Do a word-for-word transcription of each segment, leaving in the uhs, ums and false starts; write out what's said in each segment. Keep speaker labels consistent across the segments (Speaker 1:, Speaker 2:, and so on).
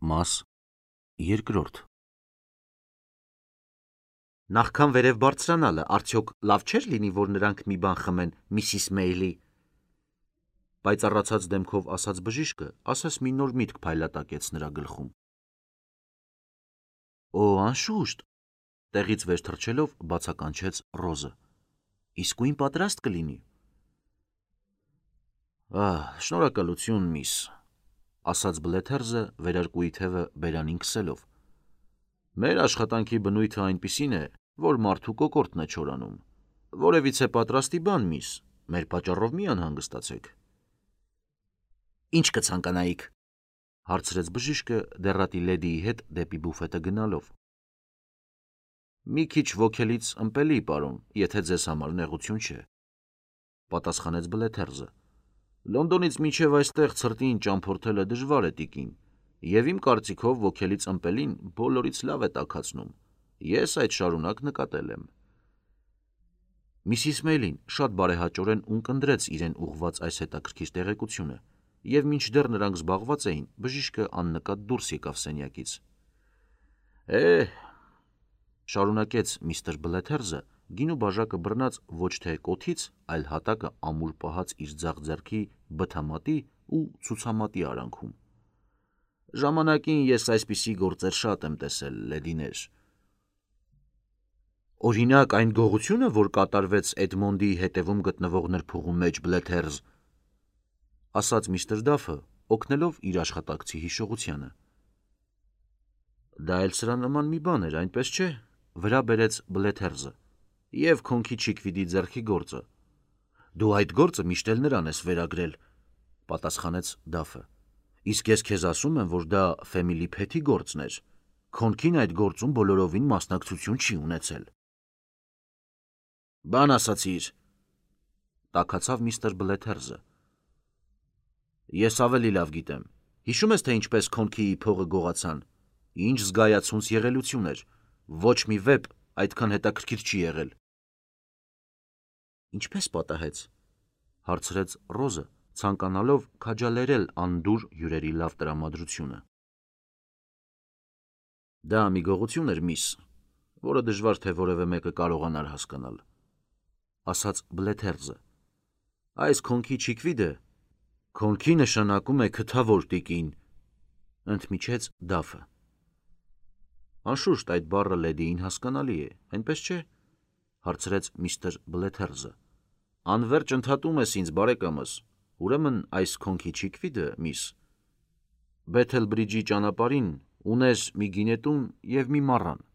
Speaker 1: Մաս երկրորդ Նախքան վերև բարձրանալը, արդյոք լավ չէր լինի, որ նրանք մի բան խմեն Միսիս Մեյլի, պայծառացած դեմքով ասաց բժիշկը, ասես մի նոր միտք փայլատակեց նրա գլխում։ Օ, անշուշտ, տեղից վեր թռչելով բացականչեց Ռոզը։ Իսկույն պատրաստ կլինի։ Ահ, շնորհակալություն, միս, ասաց Բլեթերզը վերարկուի թևը բերանին քսելով։ Մեր աշխատանքի բնույթը այնպիսին է, որ մարդու կոկորդն է չորանում։ Որևիցե պատրաստի բան, միս, մեր պատճառով մի անհանգստացեք։ Ինչ կցանկանայիք, հարցրեց բժիշկը դեռատի լեդիի հետ դեպի բուֆետը գնալով։ Մի քիչ ոգելից ըմպելի, պարոն, եթե ձեզ համար նեղություն չէ, պատասխանեց Բլեթերզը։ Լոնդոնից մինչև այստեղ ցրտին ճամփորդելը դժվար է, տիկին, եւ իմ կարծիքով ոգելից ըմպելին բոլորից լավ է տաքացնում։ Ես այդ շարունակ նկատել եմ։ Միսիս Մեյլին շատ բարեհաճորեն ունկնդրեց իրեն ուղված այս հետաքրքիր տեղեկությունը, եւ մինչդեռ նրանք զբաղված էին, բժիշկը աննկատ դուրս եկավ սենյակից։ Է, շարունակեց միստր Բլեթերզը, գինու բաժակը բռնած ոչ թե կոթից, այլ հատակը ամուր պահած իր ձախ ձեռքի բթամատի ու ցուցամատի արանքում։ Ժամանակին ես այսպիսի գործեր շատ եմ տեսել, լեդիներ։ Օրինակ այն գողությունը, որ կատարվեց Էդմոնդի հետևում գտնվող նրբուղու մեջ, Բլեթերզ, ասաց միստր Դաֆը, օգնելով իր աշխատակցի հիշողությանը։ Դա էլ սրա նման մի բան էր, այնպես չէ, վրա բերեց Բլեթերզը, եւ քոնքի Չիկվիդի ձեռքի գործը։ Դու այդ գործը միշտ էլ նրան ես վերագրել, պատասխանեց Դաֆը։ Իսկ ես քեզ ասում եմ, որ դա Ֆեմիլի Փեթի գործն էր։ Քոնքին այդ գործում բոլորովին մասնակցություն չի ունեցել։ Բան ասացիր, տաքացավ միստր Բլեթերզը։ Ես ավելի լավ գիտեմ։ Հիշում ես, թե ինչպես քոնքիի փողը գողացան։ Ինչ զգայացունց եղելություն էր։ Ոչ մի վեպ այդքան հետաքրքիր չի եղել։ Ինչպես պատահեց, հարցրեց Ռոզը, ցանկանալով քաջալերել անդուր հյուրերի լավ տրամադրությունը։ Դա մի գողություն էր, միս, որը դժվար թե որևէ մեկը կարողանար հասկանալ, ասաց Բլեթերզը։ Այս քոնքի Չիկվիդը քոնքի նշանակում է քթավոր, տիկին, ընդմիջեց Դաֆը։ Անշուշտ այդ բառը լեդիին հասկանալի է, այնպես չէ, հարցրեց միստր Բլեթերզը։ Անվերջ ընդհատում ես ինձ, բարեկամս, ուրեմն այս քոնքի Չիկվիդը, միս, Բեթել Բրիջի ճանապարհին ուներ մի գինետուն եւ մի մառան։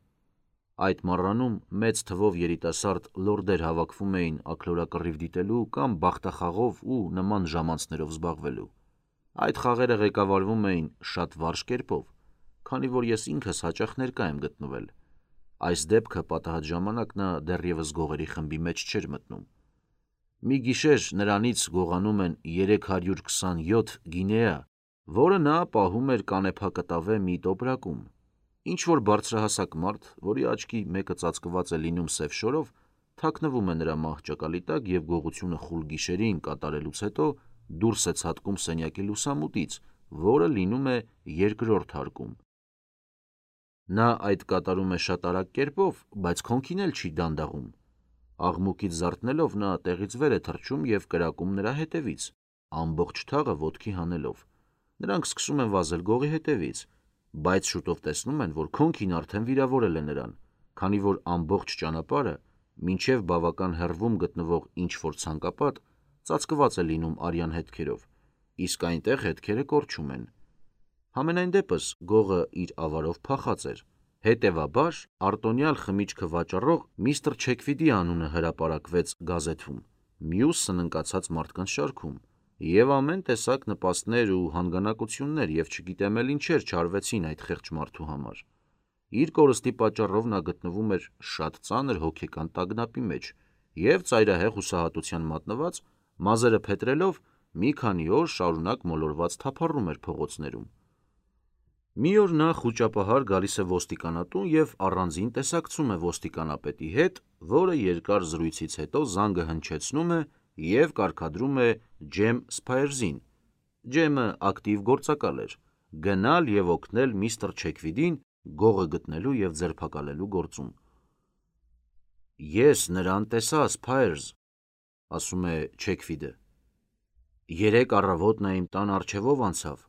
Speaker 1: Այդ մառանում մեծ թվով երիտասարդ լորդեր հավաքվում էին աքլորակռիվ դիտելու կամ բախտախաղով ու նման ժամանցներով զբաղվելու։ Այդ խաղերը ղեկավարվում էին շատ վարժ կերպով, քանի որ ես ինքս հաճախ ներկա եմ գտնվել։ Այս դեպքը պատահած ժամանակ նա դեռևս գողերի խմբի մեջ չէր մտնում։ Մի գիշեր նրանից գողանում են երեք հարյուր քսանյոթ գինեա, որը նա պահում էր կանեփակտավե մի տոպրակում։ Ինչ-որ բարձրահասակ մարդ, որի աչքի մեկը ծածկված է լինում սև շորով, թաքնվում է նրա մահճակալի տակ եւ գողությունը խուլ գիշերին կատարելուց հետո դուրս է ցատկում սենյակի լուսամուտից, որը լինում է երկրորդ հարկում։ Նա այդ կատարում է շատ արագ կերպով, բայց քոնքին էլ չի դանդաղում։ Աղմուկից զարթնելով նա տեղից վեր է թռչում եւ կրակում նրա հետևից, ամբողջ թաղը ոտքի հանելով։ Նրանք սկսում են վազել գողի հետևից, բայց շուտով տեսնում են, որ քոնքին արդեն վիրավորել է նրան, քանի որ ամբողջ ճանապարհը, մինչև բավական հեռվում գտնվող ինչ-որ ցանկապատ, ծածկված է լինում արյան հետքերով, իսկ այնտեղ հետքերը կորչում են։ Համենայն դեպս գողը իր ավարով փախած էր։ Հետևաբար արտոնյալ խմիչքը վաճառող միստր Չեքվիդի անունը հրապարակվեց գազեթում, մյուս սննկացած մարդկանց շարքում, եւ ամեն տեսակ նպաստներ ու հանգանակություններ եւ չգիտեմ էլ ինչեր չարվեցին այդ խեղճ մարդու համար։ Իր կորստի պատճառով նա գտնվում էր շատ ծանր հոգեկան տագնապի մեջ եւ ծայրահեղ հուսահատության մատնված, մազերը փետրելով մի քանի օր շարունակ մոլորված թափառում էր փողոցներում։ Մի օր նա խուճապահար գալիս է ոստիկանատուն եւ առանձին տեսակցում է ոստիկանապետի հետ, որը երկար զրույցից հետո զանգը հնչեցնում է եւ կարգադրում է Ջեմ Սփայերզին։ Ջեմը ակտիվ գործակալ էր, գնալ և օգնել միստր Չեքվիդին գողը գտնելու և ձերբակալելու գործում։ Ես նրան տեսա, Սփայրզ, ասում է Չեքվիդը։ Երեկ առավոտ նա իմ տան առջևով անցավ։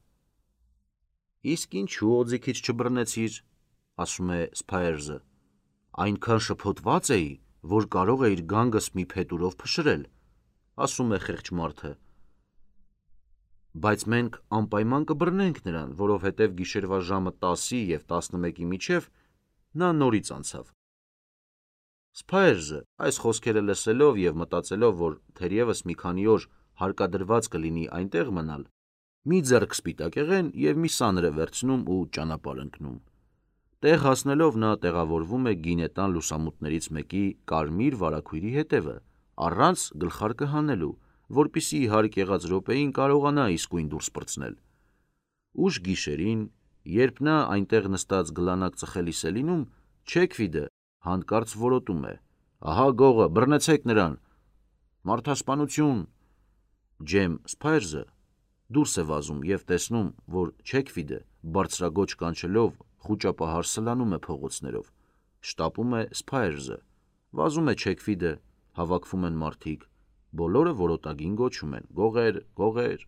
Speaker 1: Իսկ ինչու օձիքից չբռնեցիր, ասում է Սփայրզը։ Այնքան շփոթված էի, որ կարող էիր գանգս մի փետուրով փշրել, ասում է խեղճ մարդը։ Բայց մենք անպայման կբռնենք նրան, որովհետև գիշերվա ժամը տասի և տասնմեկի միջև նա նորից անցավ։ Սփայրզը այս խոսքերը լսելով և մտածելով, որ թերևս մի քանի օր հարկադրված կլինի այնտեղ մնալ, մի ձեռք սպիտակեղեն և մի սանրը վերցնում ու ճանապարհ ընկնում։ Տեղ հասնելով նա տեղավորվում է գինետան լուսամուտներից մեկի կարմիր վարագույրի հետևը, առանց գլխարկը հանելու, որպեսզի ի հարկ եղած րոպեին կարողանա իսկույն դուրս պրծնել։ Ուշ գիշերին, երբ նա այնտեղ նստած գլանակ ծխելիս է լինում, Չեքվիդը հանկարծ որոտում է. «Ահա գողը, բռնեցեք նրան»։ Մարդասպանություն։ Ջեմ Սփայրզը դուրս է վազում և տեսնում, որ Չեքվիդը բարձրաձոչ կանչելով խուճապահար սլանում է փողոցներով։ Շտապում է Սփայրզը։ Վազում է Չեքվիդը, հավաքվում են մարդիկ, բոլորը որոտագին գոչում են. «Գողե՜ր, գողե՜ր»,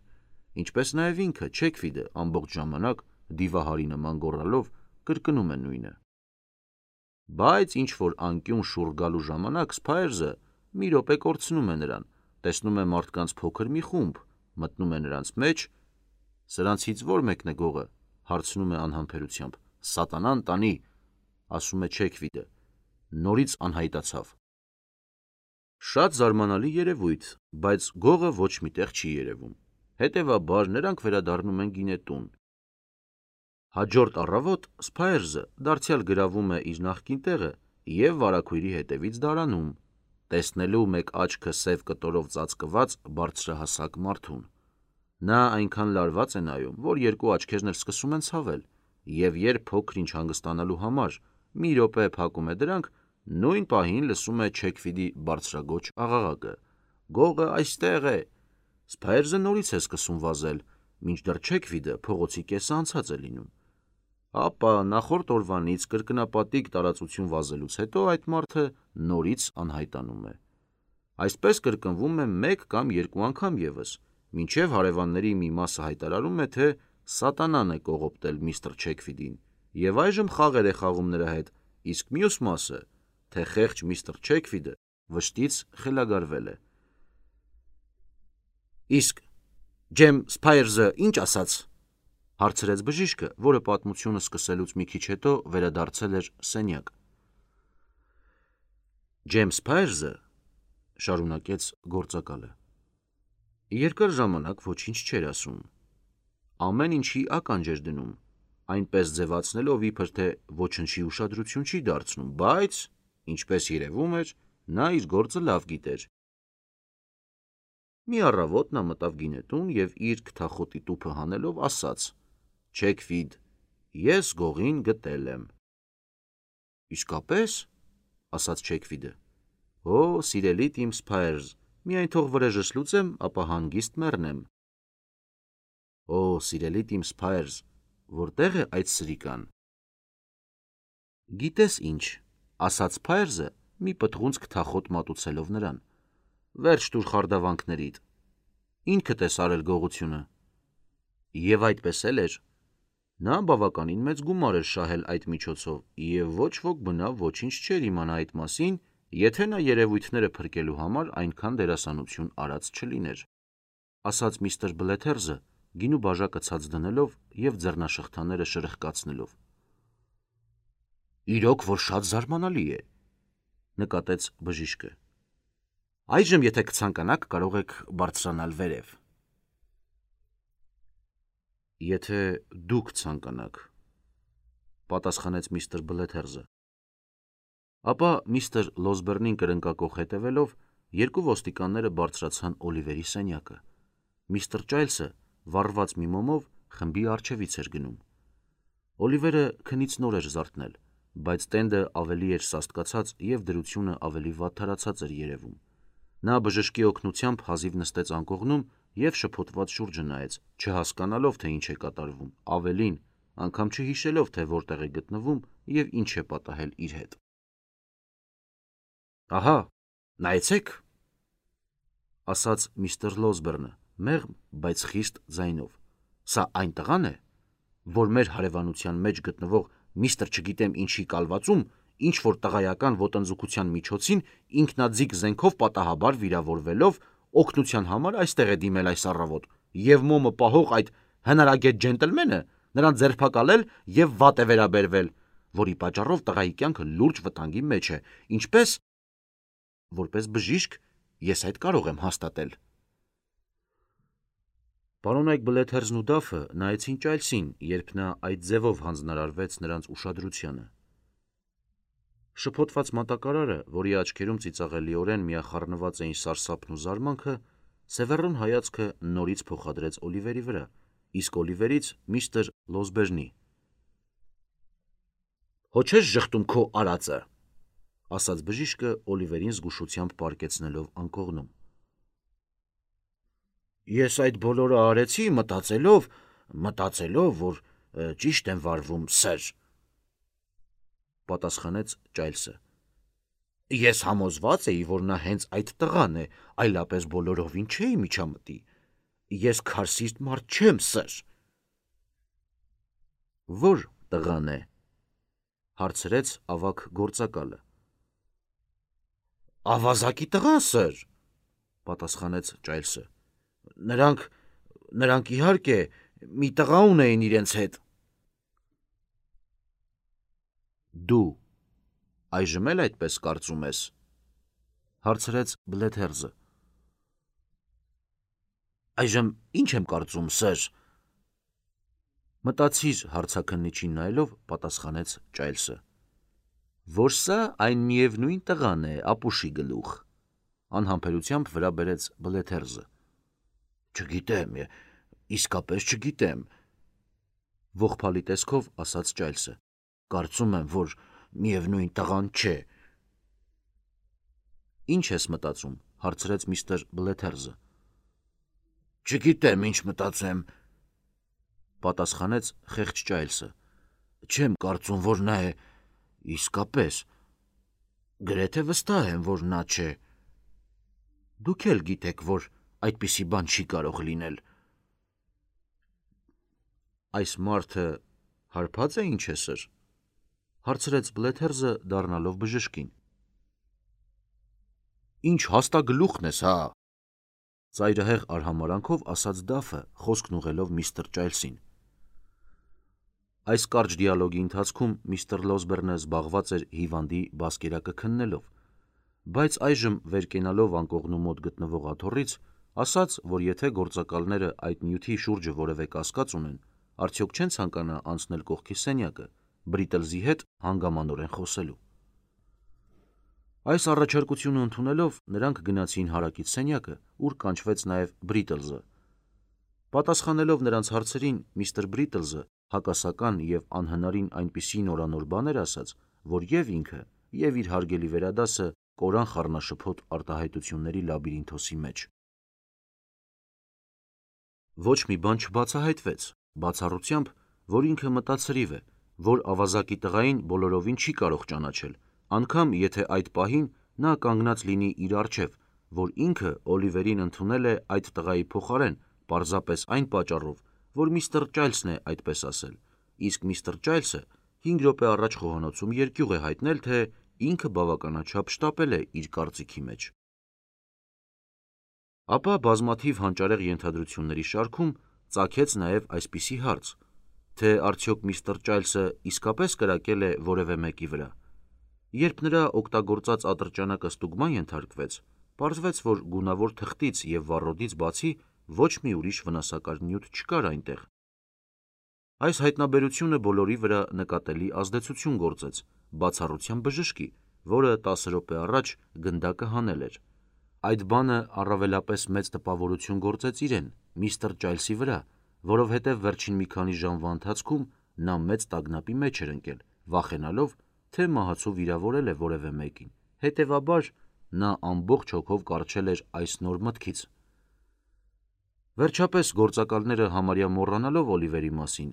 Speaker 1: ինչպես նաև ինքը Չեքվիդը ամբողջ ժամանակ դիվահարի նման գոռալով կրկնում է նույնը։ Բայց ինչ-որ անկյուն շուռ գալու ժամանակ Սփայրզը մի րոպե կորցնում է նրան, տեսնում է մարդկանց փոքր մի խումբ, մտնում է նրանց մեջ։ Սրանցից ո՞ր մեկն է գողը, հարցնում է անհամբերությամբ։ Սատանան տանի, ասում է Չեքվիդը, նորից անհայտացավ։ Շատ զարմանալի երևույթ, բայց գողը ոչ մի տեղ չի երևում։ Հետևաբար նրանք վերադառնում են գինետուն։ Հաջորդ առավոտ Սփայրզը դարձյալ գրավում է իր նախկին տեղը և վարագույրի հետևից դարանում, տեսնելու մեկ աչքը սև կտորով ծածկված բարձրահասակ մարդուն։ Նա այնքան լարված է նայում, որ երկու աչքերն էլ սկսում են ցավել, և երբ փոքր-ինչ հանգստանալու համար մի րոպե փակում է դրանք, նույն պահին լսում է Չեքվիդի բարձրաձոչ աղաղակը. «Գողը այստեղ է»։ Սփայրզը նորից է սկսում վազել, մինչդեռ Չեքվիդը փողոցի կեսը անցած է լինում։ Ապա նախորդ օրվանից կրկնապատիկ տարածություն վազելուց հետո այդ մարդը նորից անհայտանում է։ Այսպես կրկնվում է մեկ կամ երկու անգամ ևս, մինչև հարևանների մի մասը հայտարարում է, թե սատանան է կողոպտել միստր Չեքվիդին, և այժմ խաղեր է խաղում նրա հետ, իսկ մյուս մասը, թե խեղճ միստր Չեքվիդը վշտից խելագարվել է։ Իսկ Ջեմ Սփայրզը ի՞նչ ասաց, հարցրեց բժիշկը, որը պատմությունը սկսելուց մի քիչ հետո վերադարձել էր սենյակ։ Ջեմ Սփայրզը, շարունակեց գործակալը, երկար ժամանակ ոչինչ չէր ասում, ամեն ինչի ականջ էր դնում, այնպես ձևացնելով, իբր թե ոչնչի ուշադրություն չի դարձնում, բայց, ինչպես երևում էր, նա իր գործը լավ գիտեր։ Մի առավոտ նա մտավ գինետուն և իր քթախոտի տուփը հանելով ասաց. «Չեքվիդ, ես գողին գտել եմ»։ Իսկապե՞ս, ասաց Չեքվիդը։ Օ, սիրելիդ իմ Սփայրզ, միայն թող վրեժս լուծեմ, ապա հանգիստ մեռնեմ։ Օ, սիրելիդ իմ Սփայրզ, որտե՞ղ է այդ սրիկան։ Գիտես ինչ, ասաց Սփայրզը, մի պտղունց քթախոտ մատուցելով նրան։ Վերջ տուր խարդավանքներիդ։ Ինքդ ես արել գողությունը։ Եվ այդպես էլ էր։ Նա բավականին մեծ գումար էր շահել այդ միջոցով, և ոչ ոք բնավ ոչինչ չէր իմանա այդ մասին, եթե նա երևույթները փրկելու համար այնքան դերասանություն արած չլիներ, ասաց միստր Բլեթերզը, գինու բաժակը ցած դնելով և ձեռնաշղթաները շրխկացնելով։ Իրոք որ շատ զարմանալի է, նկատեց բժիշկը։ Այժմ եթե կցանկանաք, կարող եք բարձրանալ վերև։ Եթե դուք ցանկանաք, պատասխանեց միստր Բլեթերզը։ Ապա միստր Լոսբերնին կրնկակոխ հետևելով, երկու ոստիկանները բարձրացան Օլիվերի սենյակը։ Միստր Ճայլսը վառված մի մոմով խմբի առջևից էր գնում։ Օլիվերը քնից նոր էր զարթնել, բայց տենդը ավելի էր սաստկացած և դրությունը ավելի վատթարացած էր երևում։ Նա բժշկի օգնությամբ հազիվ նստեց անկողնում և շփոթված շուրջը նայեց, չհասկանալով, թե ինչ է կատարվում, ավելին, անգամ չհիշելով, թե որտեղ է գտնվում և ինչ է պատահել իր հետ։ Ահա, նայեցեք, ասաց միստր Լոսբերնը, մեղմ, բայց խիստ ձայնով, սա այն տղան է, որ մեր հարևանության մեջ գտնվող միստր չգիտեմ ինչի կալվածում, ինչ որ տղայական ոտնձգության միջոցին ինքնաձիգ զենքով պատահաբար վիրավորվելով օգնության համար այստեղ է դիմել այս առավոտ, և մոմը պահող այդ հնարագետ ջենտլմենը նրան ձերբակալել և վատ է վերաբերվել, որի պատճառով տղայի կյանքը լուրջ վտանգի մեջ է, ինչպես, որպես բժիշկ, ես այդ կարող եմ հաստատել։ Պարոնայք Բլեթերզն ու Դաֆը նայեցին Ճայլսին, երբ նա այդ ձևով հանձնարարվեց նրանց ուշադրությանը։ Շփոթված մատակարարը, որի աչքերում ծիծաղելիորեն միախառնված էին սարսափն ու զարմանքը, սևեռուն հայացքը նորից փոխադրեց Օլիվերի վրա, իսկ Օլիվերից միստր Լոսբերնի։ Հո չես ժխտում քո արածը, ասաց բժիշկը Օլիվերին զգուշությամբ պառկեցնելով անկողնում։ Ես այդ բոլորը արեցի մտածելով, մտածելով, որ ճիշտ եմ վարվում, սըր, պատասխանեց Ճայլսը։ Ես համոզված էի, որ նա հենց այդ տղան է, այլապես բոլորովին չէի միջամտի։ Ես քարսիստ մարդ չեմ, սըր։ Որ տղան է, հարցրեց ավագ գործակալը։ Ավազակի տղան, սըր, պատասխանեց Ճայլսը։ Նրանք, նրանք իհարկե մի տղա ունեին իրենց հետ։ Դու այժմ էլ այդպես կարծում ես, հարցրեց Բլեթերզը։ Այժմ ինչ եմ կարծում, սըր, մտածիր հարցաքննիչին նայելով, պատասխանեց Ճայլսը, որ սա այն միևնույն տղան է, ապուշի գլուխ, անհամբերությամբ վրա բերեց Բլեթերզը։ Չգիտեմ, իսկապես չգիտեմ, ողբալի տեսքով ասաց Ճայլսը։ Կարծում եմ, որ միևնույն տղան չէ։ Ինչ ես մտածում, հարցրեց միստր Բլեթերզը։ Չգիտեմ, ինչ մտածեմ, պատասխանեց խեղճ Ճայլսը։ Չեմ կարծում, որ նա է իսկապես։ Գրեթե վստահ եմ, որ նա չէ։ Դուք էլ գիտեք, որ այդպիսի բան չի կարող լինել։ Այս մարդը հարբած է, ինչ է, սըր, հարցրեց Բլեթերզը, դառնալով բժշկին։ Ինչ հաստագլուխն ես, հա, ծայրահեղ արհամարանքով ասաց Դաֆը, խոսքն ուղղելով միստր Ճայլսին։ Այս կարճ դիալոգի ընթացքում միստր Լոսբերնը զբաղված էր հիվանդի բասկերակը քննելով, բայց այժմ վեր կենալով անկողնու մոտ գտնվող աթոռից, ասաց, որ եթե գործակալները այդ նյութի շուրջը որևէ կասկած ունեն, արդյոք չեն ցանկանա անցնել կողքի սենյակը, Բրիտլզի հետ հանգամանորեն խոսելու։ Այս առաջարկությունը ընդունելով, նրանք գնացին հարակից սենյակը, ուր կանչվեց նաև Բրիտլզը։ Պատասխանելով նրանց հարցերին, միստր Բրիտլզը հակասական և անհնարին այնպիսի նորանոր բաներ ասաց, որ և ինքը, և իր հարգելի վերադասը կորան խառնաշփոթ արտահայտությունների լաբիրինթոսի մեջ։ Ոչ մի բան չբացահայտվեց, բացառությամբ, որ ինքը մտածրիվ է, որ ավազակի տղային բոլորովին չի կարող ճանաչել, անգամ եթե այդ պահին նա կանգնած լինի իր առջև, որ ինքը Օլիվերին ընդունել է այդ տղայի փոխարեն, պարզապես այն պատճառով, որ միստր Ճայլսն է այդպես ասել, իսկ միստր Ճայլսը հինգ րոպե առաջ խոհանոցում երկյուղ է հայտնել, թե ինքը բավականաչափ շտապել է իր կարծիքի մեջ։ Ապա բազմաթիվ հանճարեղ ենթադրությունների շարքում ծագեց նաև այսպիսի հարց, թե արդյոք միստր Ճայլսը իսկապես կրակել է որևէ մեկի վրա։ Երբ նրա օգտագործած ատրճանակը ստուգման ենթարկվեց, պարզվեց, որ գունավոր թղթից և վառոդից բացի ոչ մի ուրիշ վնասակար նյութ չկար այնտեղ։ Այս հայտնաբերությունը բոլորի վրա նկատելի ազդեցություն գործեց, բացառությամբ բժշկի, որը տասը րոպե առաջ գնդակը հանել էր։ Այդ բանը առավելապես մեծ տպավորություն գործեց իրեն, միստր Ճայլսի վրա, որովհետև վերջին մի քանի ժամվա ընթացքում նա մեծ տագնապի մեջ էր ընկել, վախենալով, թե մահացու վիրավորել է որևէ մեկին, հետևաբար նա ամբողջ հոգով կառչել էր այս նոր մտքից։ Վերջապես գործակալները համարյա մոռանալով Օլիվերի մասին,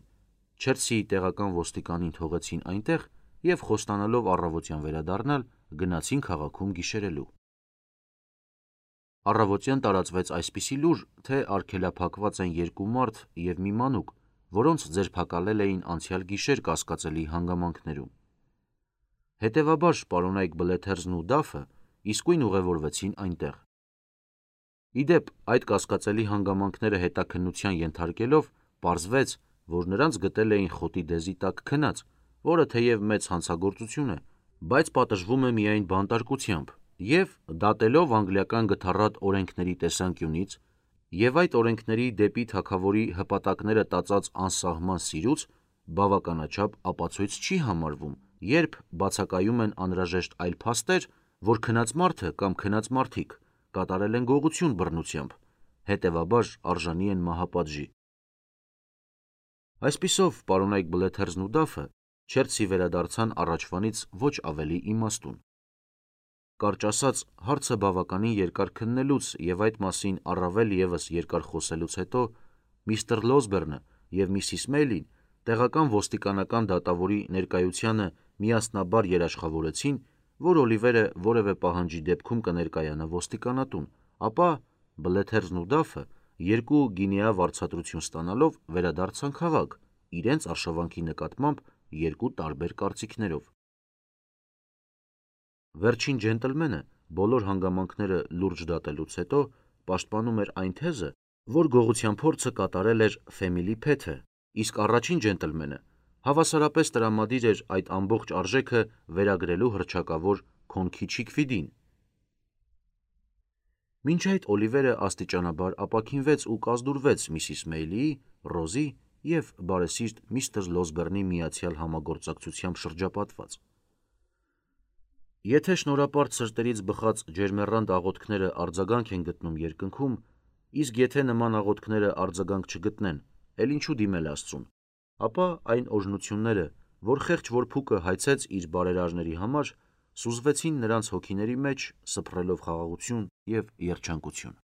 Speaker 1: Չելսիի տեղական ոստիկանին թողեցին այնտեղ և խոստանալով առավոտյան վերադառնալ, գնացին քաղաքում գիշերելու։ Առավոտյան տարածվեց այսպիսի լուր, թե արգելափակված են երկու մարդ և մի մանուկ, որոնց ձերբակալել էին անցյալ գիշեր կասկածելի հանգամանքներում։ Հետևաբար պարոնայք Բլեթերզն ու Դաֆը իսկույն ուղևորվեցին այնտեղ։ Ի դեպ, այդ կասկածելի հանգամանքները հետաքննության ենթարկելով, պարզվեց, որ նրանց գտել էին խոտի դեզի տակ քնած, որը թեև մեծ հանցագործություն է, բայց պատժվում է միայն բանտարկությամբ և դատելով անգլիական գթառատ օրենքների տեսանկյունից և այդ օրենքների դեպի թագավորի հպատակները տածած անսահման սիրուց, բավականաչափ ապացույց չի համարվում, երբ բացակայում են անհրաժեշտ այլ փաստեր, որ քնած մարդը կամ քնած մարդիկ կատարել են գողություն բռնությամբ, հետևաբար արժանի են մահապատժի։ Այսպիսով, պարոնայք Բլեթերզն ու Դաֆը Չելսի վերադարձան առաջվանից ոչ ավելի իմաստուն։ Կարճ ասած, հարցը բավականին երկար քննելուց և այդ մասին առավել ևս երկար խոսելուց հետո միստր Լոսբերնը և միսիս Մեյլին տեղական ոստիկանական դատավորի ներկայությանը միասնաբար երաշխավորեցին, որ Օլիվերը որևէ պահանջի դեպքում կներկայանա ոստիկանատուն, ապա Բլեթերզն ու Դաֆը երկու գինեա վարձատրություն ստանալով վերադարձան քաղաք իրենց արշավանքի նկատմամբ երկու տարբեր կարծիքներով։ Վերջին ջենտլմենը բոլոր հանգամանքները լուրջ դատելուց հետո պաշտպանում էր այն թեզը, որ գողության փորձը կատարել էր Ֆեմիլի Փեթը, իսկ առաջին ջենտլմենը հավասարապես տրամադիր էր այդ ամբողջ արժեքը վերագրելու հռչակավոր Քոնքի Չիքվիդին։ Մինչ այդ Օլիվերը աստիճանաբար ապաքինվեց ու կազդուրվեց միսիս Մեյլիի, Ռոզի և բարեսիրտ միստր Լոսբերնի միացյալ համագործակցությամբ շրջապատված։ Եթե շնորհապարտ սրտերից բխած ջերմեռանդ աղոթքները արձագանք են գտնում երկնքում, իսկ եթե նման աղոթքները արձագանք չգտնեն, էլ ինչու դիմել Աստծուն, ապա այն օրհնությունները, որ խեղճ որփուկը հայցեց իր բարերարների համար, սուզվեցին նրանց հոգիների մեջ, սփռելով խաղաղություն և երջանկություն։